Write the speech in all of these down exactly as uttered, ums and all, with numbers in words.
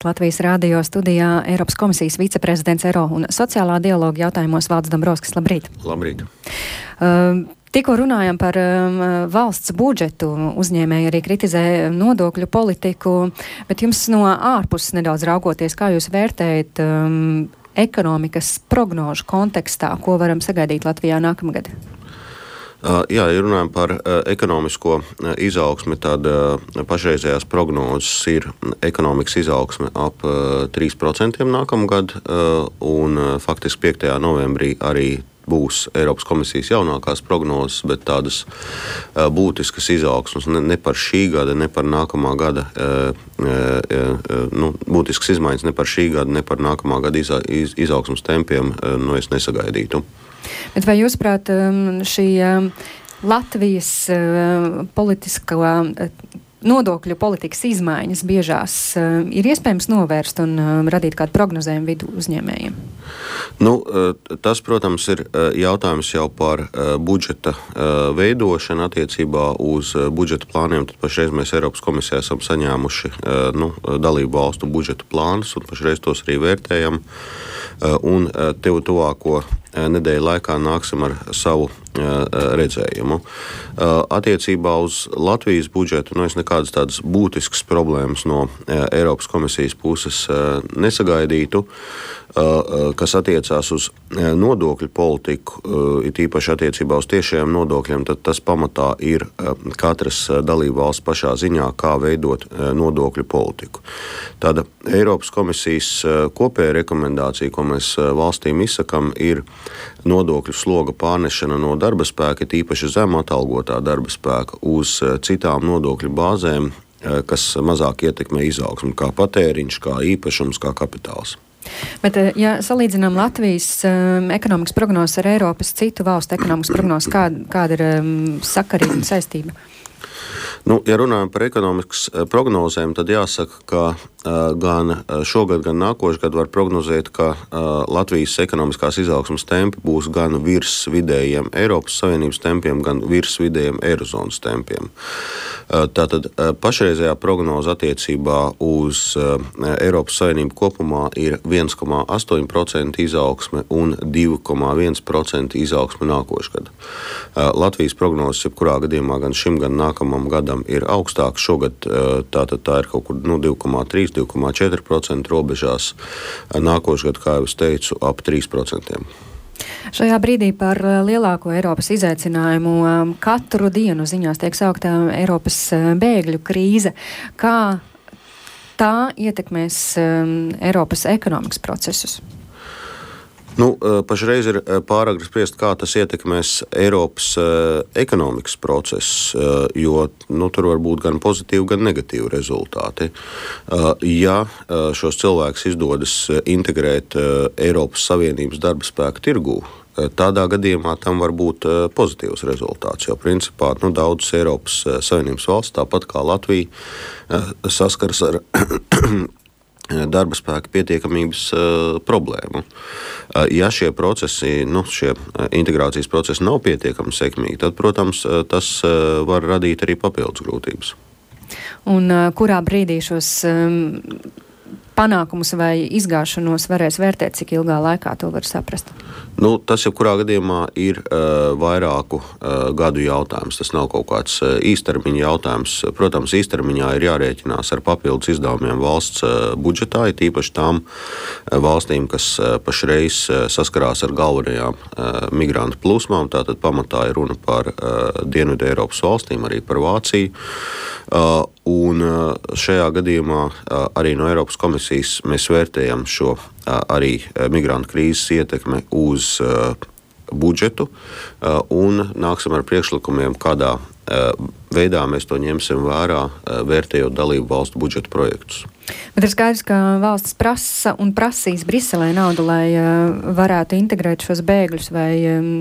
Latvijas radio studijā Eiropas komisijas viceprezidents eiro un sociālā dialoga jautājumos Valdis Dombrovskis. Labrīt! Labrīt! Uh, tikko runājam par um, valsts budžetu, uzņēmēji arī kritizē nodokļu politiku, bet jums no ārpuses nedaudz raugoties, kā jūs vērtējat um, ekonomikas prognožu kontekstā, ko varam sagaidīt Latvijā nākamgad? Uh, jā, ja runājam par uh, ekonomisko uh, izaugsmi, tad uh, pašreizējās prognozes ir ekonomikas izaugsme ap uh, trīs procenti nākamgad, uh, un uh, faktiski piektajā novembrī arī būs Eiropas komisijas jaunākās prognozes, bet tādas uh, būtiskas izaugsmes ne, ne par šī gada, ne par nākamā gada, uh, uh, nu, būtiskas izmaiņas ne par šī gada, ne par nākamā gada iza, iz, izaugsmes tempiem, uh, nu es nesagaidītu. Bet vai jūs prāt šī Latvijas politiskā nodokļu politikas izmaiņas biežās ir iespējams novērst un radīt kādu prognozējumu vidu uzņēmējiem? Nu, tas, protams, ir jautājums jau par budžeta veidošanu attiecībā uz budžeta plāniem. Tad pašreiz mēs Eiropas komisijā esam saņēmuši nu, dalību valstu budžeta plānus un pašreiz tos arī vērtējam. Un tev tuvāko nedēļu laikā nāksim ar savu redzējumu. Attiecībā uz Latvijas budžetu nu, es nekādas tādas būtiskas problēmas no Eiropas komisijas puses nesagaidītu, kas attiecās uz nodokļu politiku, it īpaši attiecībā uz tiešajiem nodokļiem, tad tas pamatā ir katras dalībvalsts pašā ziņā, kā veidot nodokļu politiku. Tāda Eiropas komisijas kopēja rekomendācija, ko mēs valstīm izsakam, ir nodokļu sloga pārnešana no darba spēka, tīpaši zem atalgotā darba spēka, uz citām nodokļu bāzēm, kas mazāk ietekmē izaugsmu, kā patēriņš, kā īpašums, kā kapitāls. Bet, ja salīdzinām Latvijas um, ekonomikas prognozes ar Eiropas citu valstu ekonomikas prognozes, kāda, kāda ir um, sakarība un saistība? Nu, ja runājam par ekonomikas prognozēm, tad jāsaka, ka uh, gan šogad, gan nākošais gadu var prognozēt, ka uh, Latvijas ekonomiskās izaugsmes tempi būs gan virs vidējiem Eiropas Savienības tempiem, gan virs vidējiem Eirozonas tempiem. Uh, tātad uh, pašreizējā prognoze attiecībā uz uh, Eiropas Savienību kopumā ir viens komā astoņi procenti izaugsme un divi komā viens procenti izaugsme nākošais gadu. Uh, Latvijas prognozes jebkurā gadījumā gan šim, gan nākamam gadam ir augstāks. Šogad tātad tā ir kaut kur nu, divi komā trīs, divi komā četri procenti robežās. Nākošais gads, kā jau es teicu, ap trīs procenti. Šajā brīdī par lielāko Eiropas izaicinājumu katru dienu ziņās tiek sauktā Eiropas bēgļu krīze. Kā tā ietekmēs Eiropas ekonomikas procesus? Nu, pašreiz ir pāragri spriest, kā tas ietekmēs Eiropas ekonomikas procesus, jo nu, tur var būt gan pozitīvi, gan negatīvi rezultāti. Ja šos cilvēkus izdodas integrēt Eiropas Savienības darba spēka tirgū, tādā gadījumā tam var būt pozitīvs rezultāts, jo principā nu, daudzas Eiropas Savienības valsts, tāpat kā Latvija, saskars ar darba spēka pietiekamības uh, problēmu. Uh, ja šie procesi, nu, šie integrācijas procesi nav pietiekami sekmīgi, tad, protams, tas uh, var radīt arī papildus grūtības. Un uh, kurā brīdī šos um, panākumus vai izgāšanos varēs vērtēt, cik ilgā laikā to var saprast? Nu, tas jebkurā gadījumā ir uh, vairāku uh, gadu jautājums. Tas nav kaut kāds uh, īstermiņa jautājums. Protams, īstermiņā ir jārēķinās ar papildus izdevumiem valsts uh, budžetā, it īpaši tām uh, valstīm, kas uh, pašreiz uh, saskarās ar galvenajām uh, migrantu plūsmām. Tātad pamatā ir runa par uh, Dienvidu Eiropas valstīm, arī par Vāciju. Uh, un uh, šajā gadījumā uh, arī no Eiropas komisijas mēs vērtējam šo uh, arī uh, migrantu krīzes ietekme uz uh, budžetu uh, un nāksim ar priekšlikumiem, kādā uh, veidā mēs to ņemsim vērā, uh, vērtējot dalību valstu budžeta projektus. Bet ir skaidrs, ka valsts prasa un prasīs Briselē naudu, lai uh, varētu integrēt šos bēgļus, vai um,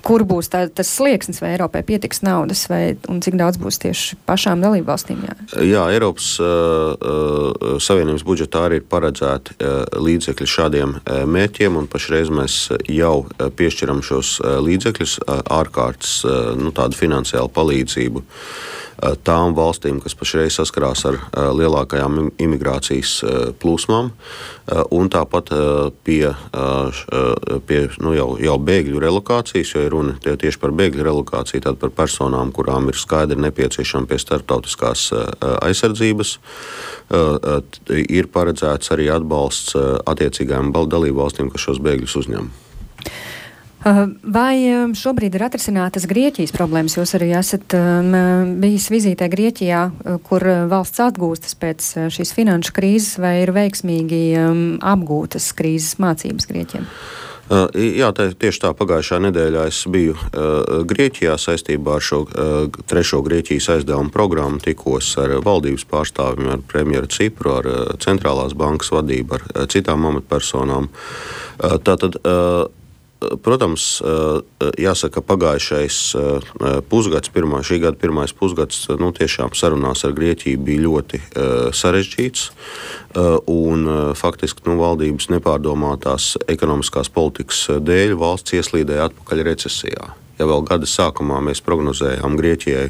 kur būs tā, tas slieksnis, vai Eiropai pietiks naudas, vai, un cik daudz būs tieši pašām dalību valstīm? Jā, jā Eiropas uh, Savienības budžetā arī ir paredzēti uh, līdzekļi šādiem uh, mērķiem, un pašreiz mēs jau uh, piešķiram šos uh, līdzekļus uh, ārkārtas uh, nu, tādu finansiālu palīdzību tām valstīm, kas pašreiz saskarās ar lielākajām imigrācijas plūsmām, un tāpat pie, pie nu, jau, jau bēgļu relokācijas, jo ir runa tieši par bēgļu relokāciju, tad par personām, kurām ir skaidri nepieciešama pie starptautiskās aizsardzības, ir paredzēts arī atbalsts attiecīgajām dalību valstīm, kas šos bēgļus uzņem. Vai šobrīd ir atrisinātas Grieķijas problēmas? Jūs arī esat um, bijis vizītē Grieķijā, kur valsts atgūstas pēc šīs finanšu krīzes, vai ir veiksmīgi um, apgūtas krīzes mācības Grieķiem? Uh, jā, tā, tieši tā pagājušā nedēļā es biju uh, Grieķijā saistībā ar šo uh, trešo Grieķijas aizdevumu programmu, tikos ar valdības pārstāvjiem, ar premjeru Cipru, ar uh, centrālās bankas vadību, ar uh, citām amatpersonām. Uh, tātad, uh, Protams, jāsaka, pagājušais pusgads, pirmā, šī gada pirmais pusgads, nu, tiešām sarunās ar Grieķiju bija ļoti sarežģīts, un faktiski nu, valdības nepārdomātās ekonomiskās politikas dēļ valsts ieslīdēja atpakaļ recesijā. Ja vēl gada sākumā mēs prognozējām Grieķijai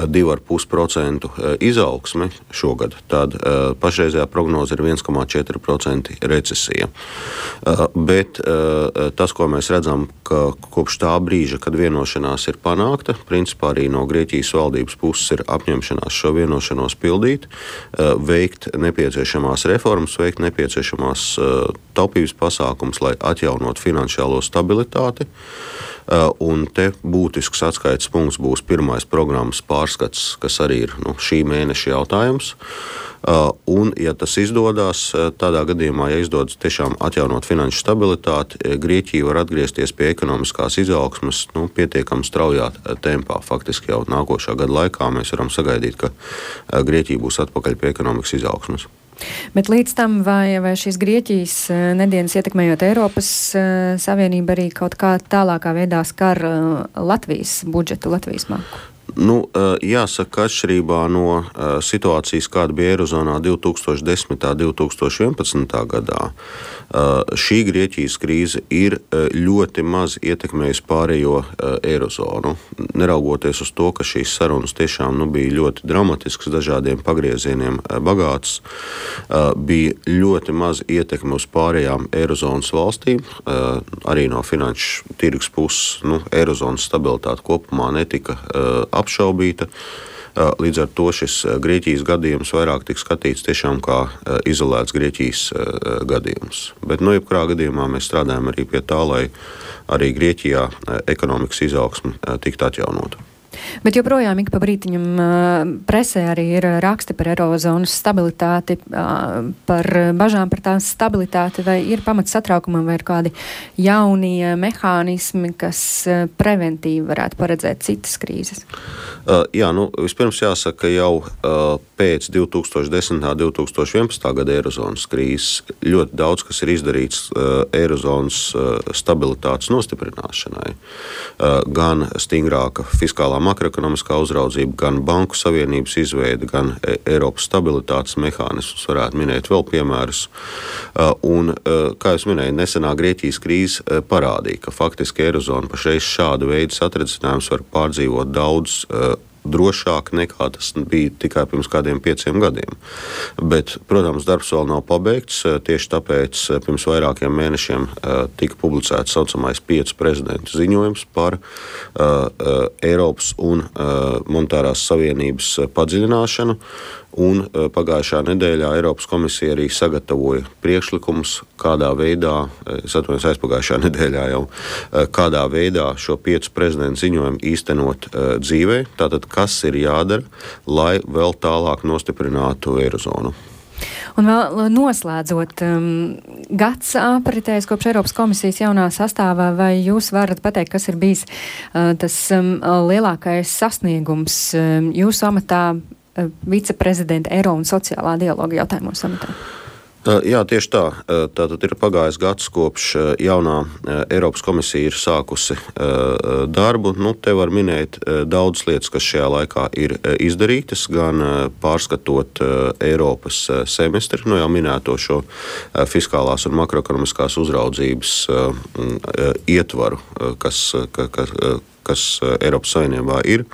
divu ar pus procentu izaugsmi šogad, tad pašreizējā prognoze ir viens komats četri procenti recesija. Bet tas, ko mēs redzam, ka kopš tā brīža, kad vienošanās ir panākta, principā arī no Grieķijas valdības puses ir apņemšanās šo vienošanos pildīt, veikt nepieciešamās reformas, veikt nepieciešamās taupības pasākums, lai atjaunot finansiālo stabilitāti. Un te būtisks atskaites punkts būs pirmais programmas pārskats, kas arī ir nu, šī mēneša jautājums. Un, ja tas izdodas, tādā gadījumā, ja izdodas tiešām atjaunot finanšu stabilitāti, Grieķija var atgriezties pie ekonomiskās izaugsmes nu, pietiekami straujā tempā. Faktiski jau nākošā gada laikā mēs varam sagaidīt, ka Grieķija būs atpakaļ pie ekonomikas izaugsmes. Bet līdz tam, vai, vai šīs Grieķijas nedēļas ietekmējot Eiropas Savienību arī kaut kā tālākā veidā skar Latvijas budžetu, Latvijas māku? Nu, jāsaka, atšķirībā no situācijas, kāda bija Eirozonā divi tūkstoši desmitā un divi tūkstoši vienpadsmitā gadā, šī Grieķijas krīze ir ļoti maz ietekmējusi pārējo Eirozonu. Neraugoties uz to, ka šīs sarunas tiešām nu, bija ļoti dramatiskas, dažādiem pagriezieniem bagātas, bija ļoti maz ietekme uz pārējām Eirozonas valstīm. Arī no finanšu tirgus puses nu, Eirozonas stabilitāte kopumā netika apšaubīta. Līdz ar to šis Grieķijas gadījums vairāk tika skatīts tiešām kā izolēts Grieķijas gadījums. Bet, nu, jebkurā gadījumā mēs strādājam arī pie tā, lai arī Grieķijā ekonomikas izaugsme tiktu atjaunota. Bet joprojām ik pa brītiņam presē arī ir raksti par Eirozonas stabilitāti, par bažām par tās stabilitāti, vai ir pamats satraukumam, vai ir kādi jaunie mehānismi, kas preventīvi varētu paredzēt citas krīzes? Uh, jā, nu, vispirms jāsaka, ka jau uh, pēc divi tūkstoši desmitā un divi tūkstoši vienpadsmitā gada Eirozonas krīzes ļoti daudz, kas ir izdarīts uh, Eirozonas uh, stabilitātes nostiprināšanai. Uh, gan stingrāka fiskālā makroekonomiskā uzraudzība, gan banku savienības izveide, gan Eiropas stabilitātes mehānismus, varētu minēt vēl piemērus. Un, kā jūs minēju, nesenā Grieķijas krīze parādīja, ka faktiski Eirozona pašreiz šādu veidu satricinājums var pārdzīvot daudz drošāk nekā tas bija tikai pirms kādiem pieciem gadiem. Bet, protams, darbs vēl nav pabeigts. Tieši tāpēc pirms vairākiem mēnešiem tika publicēts saucamais piecu prezidentu ziņojums par uh, Eiropas un uh, monetārās savienības padziļināšanu. Un pagājušā nedēļā Eiropas komisija arī sagatavoja priekšlikumus, kādā veidā, es atvainojos aizpagājušā nedēļā jau, kādā veidā šo piecu prezidentu ziņojumu īstenot dzīvē. Tātad, kas ir jādara, lai vēl tālāk nostiprinātu Eirozonu. Un vēl noslēdzot, um, gads apritējis kopš Eiropas komisijas jaunā sastāvā, vai jūs varat pateikt, kas ir bijis uh, tas um, lielākais sasniegums um, jūsu amatā uh, viceprezidenta Eiro un sociālā dialoga jautājumos amatā? Jā, tieši tā. Tātad ir pagājis gads, kopš jaunā Eiropas komisija ir sākusi darbu. Nu, te var minēt daudz lietas, kas šajā laikā ir izdarītas, gan pārskatot Eiropas semestri, nu jau minēto šo fiskālās un makroekonomiskās uzraudzības ietvaru, kas, ka, ka, kas Eiropas Savienībā ir,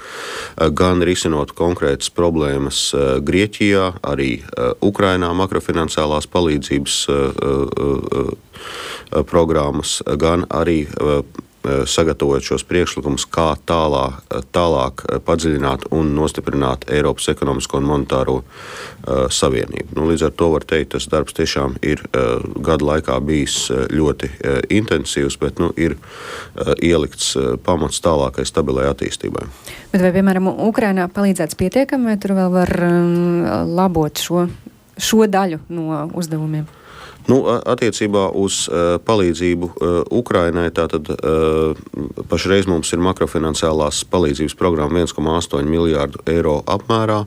gan risinot konkrētas problēmas Grieķijā, arī Ukrainā makrofinanciālās palīdzības programmas, gan arī sagatavojot šos priekšlikumus, kā tālāk, tālāk padziļināt un nostiprināt Eiropas ekonomisko un monetāro uh, savienību. Nu, līdz ar to var teikt, tas darbs tiešām ir uh, gadu laikā bijis ļoti uh, intensīvs, bet nu, ir uh, ielikts uh, pamats tālākai stabilai attīstībai. Bet vai, piemēram, Ukrainā palīdzēts pietiekami, vai tur vēl var um, labot šo, šo daļu no uzdevumiem? Nu, attiecībā uz uh, palīdzību uh, Ukrainai, tātad uh, pašreiz mums ir makrofinanciālās palīdzības programma viens komats astoņi miljārdu eiro apmērā.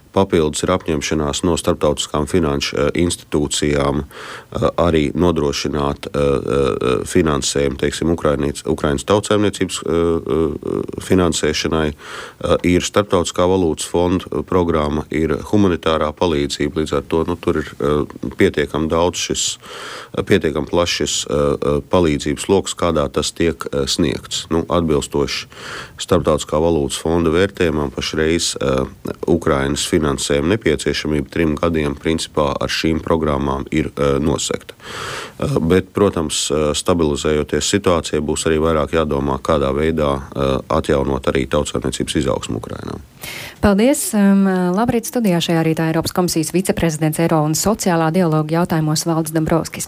Papildus ir apņemšanās no starptautiskām finanšu uh, institūcijām uh, arī nodrošināt uh, uh, finansējumu, teiksim, Ukrainīts, Ukrainas tautsaimniecības uh, uh, finansēšanai. Uh, ir starptautiskā valūtas fonda programma, ir humanitārā palīdzība, līdz ar to nu, tur ir uh, pietiekami daudz šis, uh, pietiekami plašs šis uh, palīdzības loks, kādā tas tiek uh, sniegts. Nu, atbilstoši starptautiskā valūtas fonda vērtējumam pašreiz uh, Ukrainas finansējuma nepieciešamība trim gadiem principā ar šīm programmām ir uh, nosekta. Uh, bet, protams, uh, stabilizējoties situācijai, būs arī vairāk jādomā, kādā veidā uh, atjaunot arī tautsaimniecības izaugsmu Ukrainā. Paldies! Um, labrīt studijā šajā rītā Eiropas komisijas viceprezidents Eiro un sociālā dialoga jautājumos Valdis Dombrovskis.